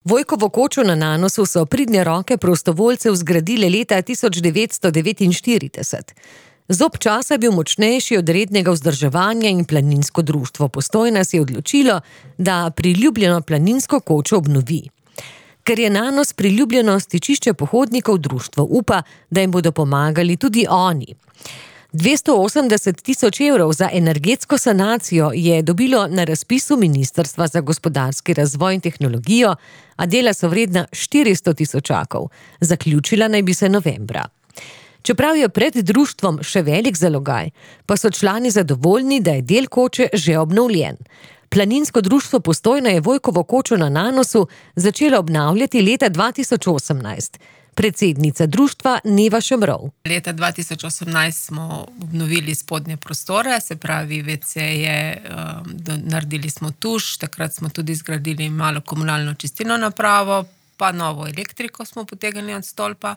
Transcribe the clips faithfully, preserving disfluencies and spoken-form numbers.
Vojkovo kočo na Nanosu so pridne roke prostovoljcev zgradile leta tisoč devetsto devetinštirideset. Zob časa je bil močnejši od rednega vzdrževanja in planinsko društvo Postojna se je odločilo, da priljubljeno planinsko kočo obnovi. Ker je Nanos priljubljeno stičišče pohodnikov, društvo upa, da jim bodo pomagali tudi oni. dvesto osemdeset tisoč evrov za energetsko sanacijo je dobilo na razpisu Ministrstva za gospodarski razvoj in tehnologijo, a dela so vredna štiristo tisočakov. Zaključila naj bi se novembra. Čeprav je pred društvom še velik zalogaj, pa so člani zadovoljni, da je del koče že obnovljen. Planinsko društvo Postojna je Vojkovo kočo na Nanosu začelo obnavljati leta dva tisoč osemnajst. Predsednica društva Neva Šemrov. Leta dva tisoč osemnajst smo obnovili spodnje prostore, se pravi ve ce-je, naredili smo tuš, takrat smo tudi zgradili malo komunalno čistilno napravo, pa novo elektriko smo potegnili od stolpa.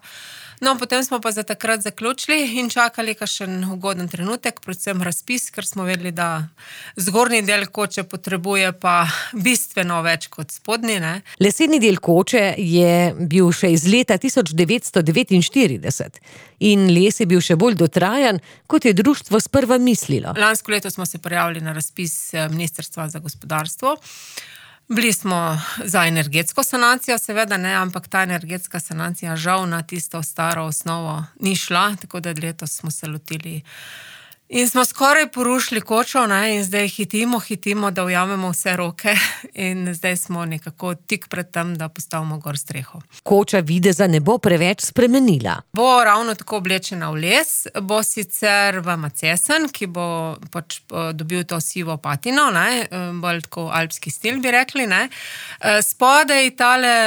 No, potem smo pa za takrat zaključili in čakali kakšen ugoden trenutek, predvsem razpis, ker smo vedeli, da zgornji del koče potrebuje pa bistveno več kot spodnji, ne. Leseni del koče je bil še iz leta tisoč devetsto devetinštirideset in les je bil še bolj dotrajan, kot je društvo sprva mislilo. Lansko leto smo se prijavili na razpis Ministrstva za gospodarstvo. Bili smo za energetsko sanacijo, seveda ne, ampak ta energetska sanacija žal na tisto staro osnovo ni šla, tako da letos smo se lotili in smo skoraj porušili kočo, ne, in zdaj hitimo, hitimo, da ujamemo vse roke in zdaj smo nekako tik pred tem, da postavimo gor streho. Koča videza ne bo preveč spremenila. Bo ravno tako oblečena v les, bo sicer v macesen, ki bo pač dobil to sivo patino, ne, bolj tako alpski stil bi rekli, ne. Spodaj tale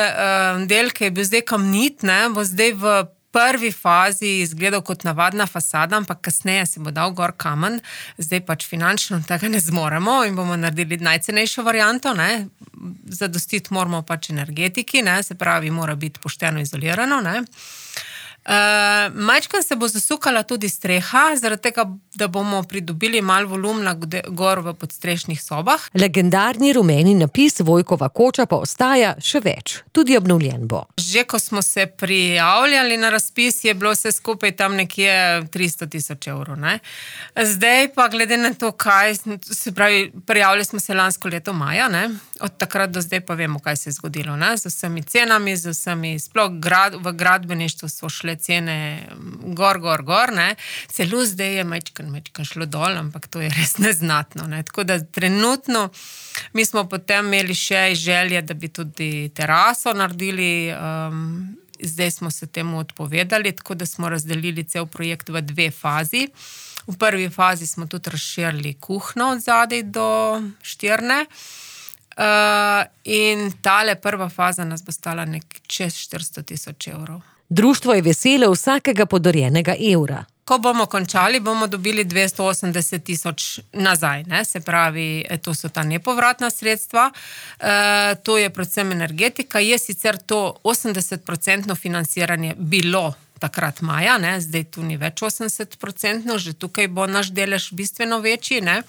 del, ki je bil zdaj kamnit, ne, bo zdaj v prvi fazi izgledal kot navadna fasada, ampak kasneje se bo dal gor kamen, zdaj pač finančno tega ne zmoremo in bomo naredili najcenejšo varianto, ne. Zadostiti moramo pač energetiki, ne, se pravi, mora biti pošteno izolirano, ne. Uh, majčkeno se bo zasukala tudi streha, zaradi tega, da bomo pridobili malo volumna gor v podstrešnih sobah. Legendarni rumeni napis Vojkova koča pa ostaja še več, tudi obnovljen bo. Že ko smo se prijavljali na razpis, je bilo vse skupaj tam nekje tristo tisoč evrov, ne. Zdaj pa glede na to, kaj, se pravi, prijavili smo se lansko leto maja, ne. Od takrat do zdaj pa vemo, kaj se je zgodilo, ne, z vsemi cenami, z vsemi, sploh grad, v gradbeništvu so šle cene gor, gor, gor, ne. Celo zdaj je majčken, majčken šlo dol, ampak to je res neznatno, ne. Tako da trenutno mi smo potem imeli še želje, da bi tudi teraso naredili, um, zdaj smo se temu odpovedali, tako da smo razdelili cel projekt v dve fazi. V prvi fazi smo tudi razširili kuhno od zadaj do štirne, uh, in tale prva faza nas bo stala nek čez štiristo tisoč evrov. Društvo je veselo vsakega podarjenega evra. Ko bomo končali, bomo dobili dvesto osemdeset tisoč nazaj, ne, se pravi, to so ta nepovratna sredstva, e, to je predvsem energetika, je sicer to osemdesetprocentno financiranje bilo takrat maja, ne, zdaj tu ni več osemdesetprocentno, že tukaj bo naš delež bistveno večji, ne.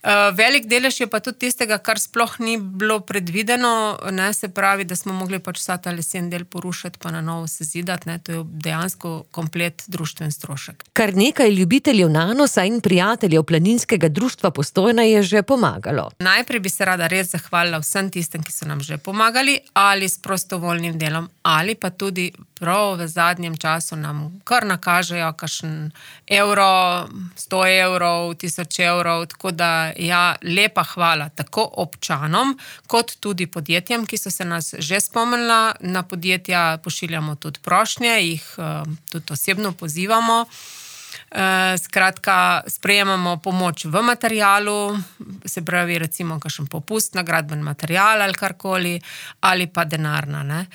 Uh, velik delež je pa tudi tistega, kar sploh ni bilo predvideno, ne, se pravi, da smo mogli pač vsa ta lesen del porušiti pa na novo sezidati, ne, to je dejansko komplet društven strošek. Kar nekaj ljubiteljev Nanosa in prijateljev planinskega društva Postojna je že pomagalo. Najprej bi se rada res zahvalila vsem tistem, ki so nam že pomagali, ali s prostovoljnim delom, ali pa tudi prav v zadnjem času nam kar nakažejo kakšen evro, sto evrov, tisoč evrov, tako da ja, lepa hvala tako občanom, kot tudi podjetjem, ki so se nas že spomnila. Na podjetja pošiljamo tudi prošnje, jih uh, tudi osebno pozivamo. Uh, skratka, sprejemamo pomoč v materialu, se pravi recimo kakšen popust na gradben material ali karkoli, ali pa denarna, ne.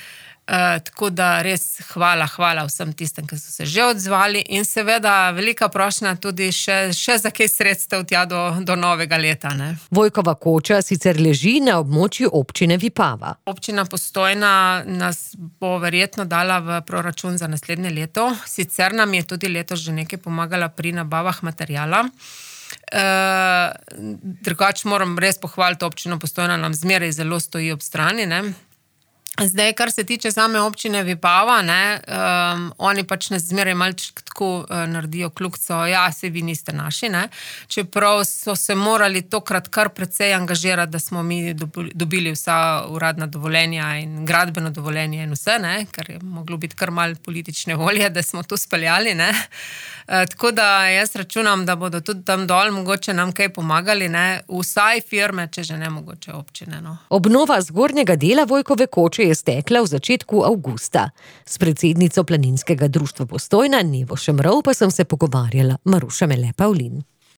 Uh, tako da res hvala, hvala vsem tistem, ki so se že odzvali in seveda velika prošnja tudi še, še za kaj sredstev tja do, do novega leta, ne. Vojkova koča sicer leži na območju občine Vipava. Občina Postojna nas bo verjetno dala v proračun za naslednje leto, sicer nam je tudi letos že nekaj pomagala pri nabavah materijala. Uh, drugače moram res pohvaliti občino Postojna, nam zmeraj zelo stoji ob strani, ne. Zdaj, kar se tiče same občine Vipava, ne, um, oni pač ne zmeraj malček tako uh, naredijo kljukco, ja, se vi niste naši, ne, čeprav so se morali tokrat kar precej angažirati, da smo mi dobili vsa uradna dovoljenja in gradbeno dovoljenje in vse, ne, ker je moglo biti kar malo politične volje, da smo to speljali, ne. Uh, tako da jaz računam, da bodo tudi tam dol mogoče nam kaj pomagali, ne, vsaj firme, če že ne mogoče občine, no. Obnova zgornjega dela Vojkove koče je stekla v začetku avgusta. S predsednico Planinskega društva Postojna Nevo Šemrov pa sem se pogovarjala Maruša Mele Pavlin.